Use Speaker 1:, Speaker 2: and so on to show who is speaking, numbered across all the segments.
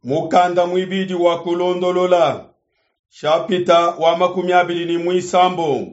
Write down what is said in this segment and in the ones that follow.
Speaker 1: Mukanda muibidi wa Kulondolola, shapita wa 23.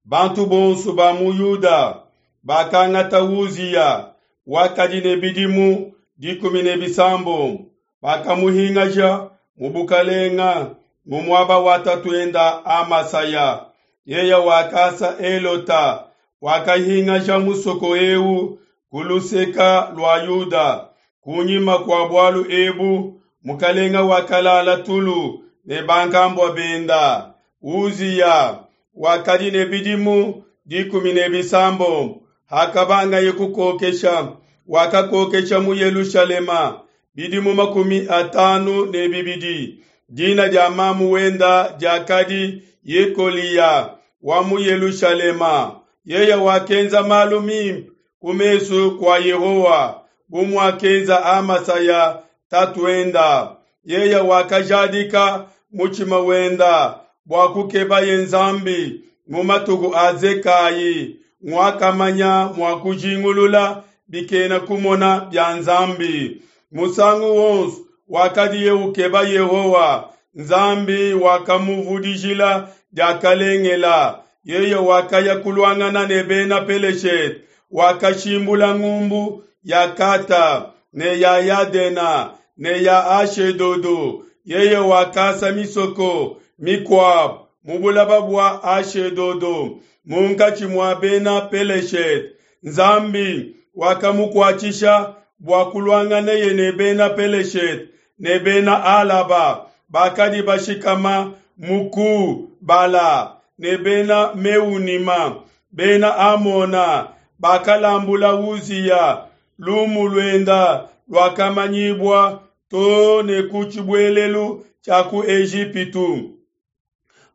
Speaker 1: Bantu bonso ba mu Yuda bakangata Uziya, wakadi ne bidimu 17, bakamuhingaja mu bukalenga mu muaba wa tatuenda Amasaya. Yeya wakasa Elota, wakahingaja musoko eu ku luseka lua Yuda. Kunyima kua bualu ebu, mukalenga wakalala tulu ne bankambua benda. Uziya wakadi ne bidimu 17 hakabangaye kukokesha, wakakokesha mu Yelushalema bidimu 52. Dina dia mamu wenda diakadi Yekoliya wa mu Yelushalema. Yeye wakenza malu mimpe ku mesu kua Yehowa, bu muakenza Amasaya tatuenda. Yeye wakajadika mutshima wenda bua kukebaye Nzambi mu matuku a Zekayi, nguakamanya mua kujingulula bikena kumona bia Nzambi. Musangu wonso wakadiye ukeba Yehowa, Nzambi wakamuvudijila diakalengela. Yeye wakaya kuluangana ne bena Peleshete, wakashimbula ngumbu ya Kata ne ya Yadena ne ya Ashedodo. Yeye wakasa misoko mikuabu mu bulaba bua Ashedodo munkatshi mua bena Peleshete. Nzambi wakamukuatshisha bua kuluanganeye ne bena Peleshete ne bena Alaba bakadi bashikama mu Ku Bala ne bena Meunima. Bena Amona bakalambula Uziya, lumu luenda luakamanyibua to ne ku tshibuelelu tshia ku Ejipitu.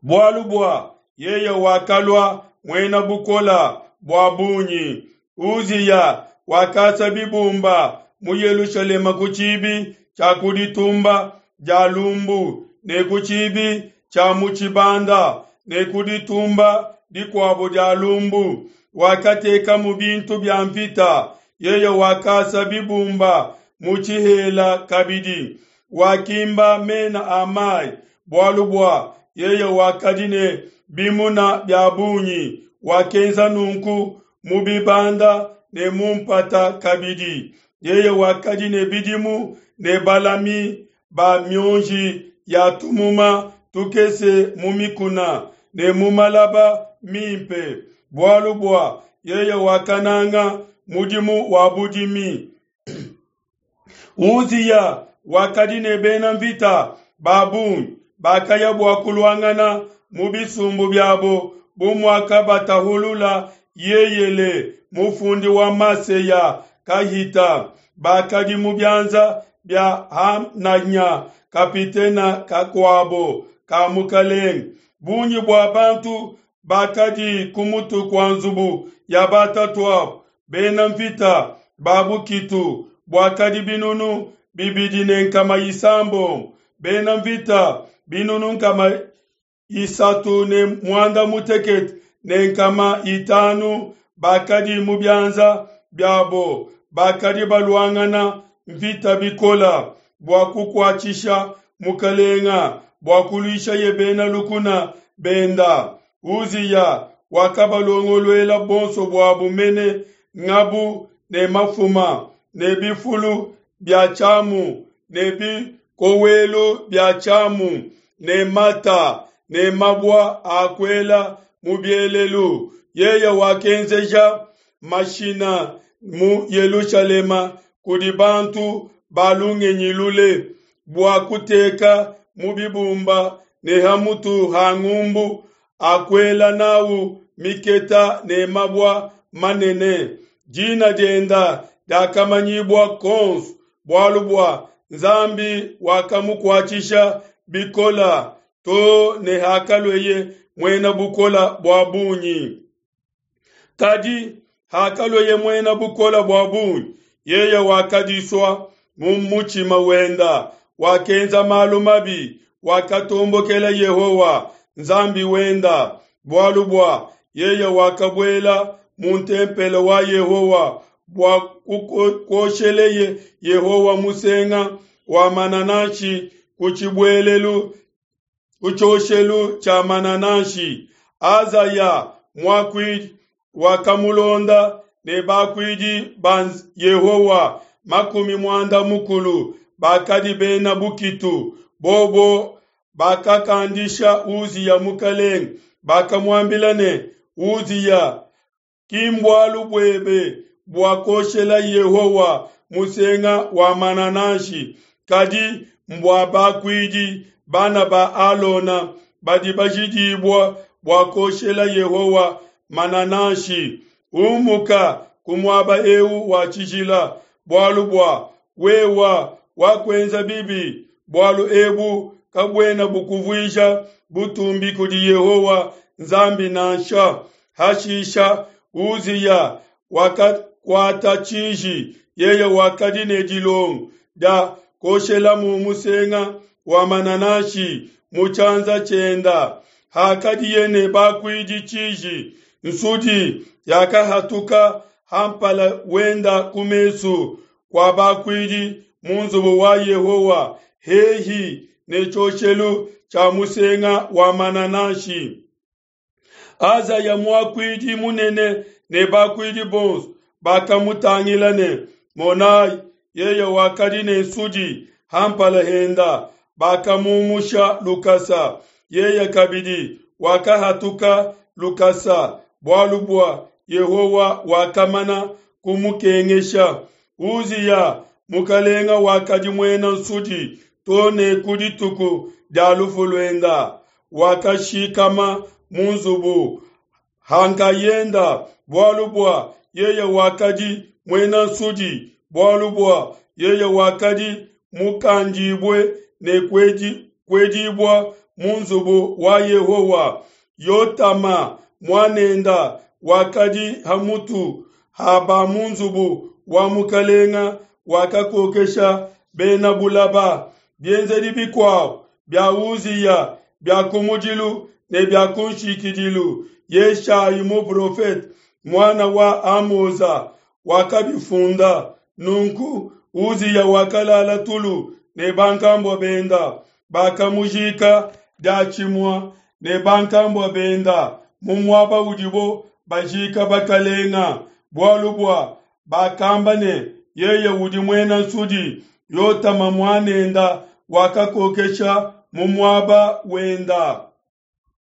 Speaker 1: Bualu bua yeye wakalua muena bukola bua bungi. Uziya wakasa bibumba mu Yelushalema ku tshibi tshia ku ditumba dia lumbu ne ku tshibi tshia mu tshibanda ne ku ditumba dikuabo dia lumbu. Wakatekamu bintu bia mvita. Yeye wakasa bibumba mu tshihela kabidi. Wakimba mena a mai, bualu bua yeye wakadi ne bimuna bia bungi. Wakenza nunku mu bibanda ne mu mpata kabidi. Yeye wakadi ne bidimu ne balami ba mionji ya tumuma tukese mu mikuna ne mu malaba mimpe, bualu bua yeye wakananga mudimu wa budimi. Uziya wakadi ne bena mvita ba bungi bakaya bua kuluangana mu bisumbu biabo, bu muakabatahulula Yeyele mufundi wa Maseya kahita. Bakadi mu bianza bia Hananya kapitena kakuabo ka mukalenge. Bungi bua bantu bakadi ku mutu kua nzubu ya batatuabo, bena mvita ba bukitu buakadi 2600, bena mvita 36500 bakadi mu bianza biabo, bakadi baluangana mvita bikola bua kukuatshisha mukalenga bua kuluishaye bena lukuna benda. Uziya wakabalongoluela bonso buabu mene ngabu ne mafuma ne bifulu bia tshiamu ne bikowelu bia tshiamu ne mata ne mabua a kuela mu bielelu. Yeye wakenzeja mashina mu Yelushalema kudi bantu ba lungenyi lule bua kuteka mu bibumba ne ha mutu ha ngumbu akuela nawu miketa ne mabua manene. Dina dienda diakamanyibua konso, bualu bua Nzambi wakamukuatshisha bikola to ne hakalueye muena bukola bua bungi. Kadi hakalueye muena bukola bua bungi, yeye wakadisua mu mutshima wenda, wakenza malu mabi, wakatombokela Yehowa Nzambi wenda, bualu bua yeye wakabuela mu ntempelo wa Yehowa bua kuosheleye Yehowa musenga. wa manananshi ku tshibuelelu ku tshioshelu tshia manananshi. Azaya muakuidi wakamulonda ne bakuidi ba Yehowa 60 bakadi bena bukitu. Bobo bakakandisha Uziya mukalenge, bakamuambila ne, Uziya, ki mbualu buebe bua kuoshela Yehowa musenga wa manananshi, kadi mbua bakuidi bana ba Alona badi bajidibua bua kuoshela Yehowa manananshi. Umuka ku muaba eu wa tshijila, bualu bua wewa wakuenza bibi, bualu ebu kabuena bukuvuija butumbi kudi Yehowa Nzambi nansha. Hashisha Uziya wakakuata tshiji, yeye wakadi ne dilongo dia kuoshelamu musenga wa manananshi mu tshianza tshienda. Hakadiye ne bakuidi tshiji, nsudi yakahatuka ha mpala wenda ku mesu kua bakuidi mu nzubu wa Yehowa hehi ne tshioshelu tshia musenga wa manananshi. Azaya muakuidi munene ne bakuidi bonso bakamutangila ne, Monai, yeye wakadi ne nsudi ha mpala henda. Bakamumusha lukasa. Yeye kabidi wakahatuka lukasa, bualu bua Yehowa wakamana kumukengesha. Uziya mukalenga wakadi muena nsudi to ne ku dituku dia lufu luenda. Wakashikama mu nzubu hankayenda, bualu bua yeye wakadi muena nsudi, bualu bua yeye wakadi mukandibue ne kuedibua mu nzubu wa Yehowa. Yotama muanenda wakadi ha mutu ha ba mu nzubu wa mukalenga, wakakokesha bena bulaba. Bienzedi bikuabo bia Uziya bia kumudilu ne bia kunshikidilu, Yeshayi muprofete muana wa Amoza wakabifunda. Nunku Uziya wakalala tulu ne bankambua benda, bakamujika diatshimue ne bankambua benda mu muaba udibo bajika bakalenga, bualu bua bakamba ne, yeye udi muena nsudi. Yotama muanenda wakakokesha mu muaba wenda.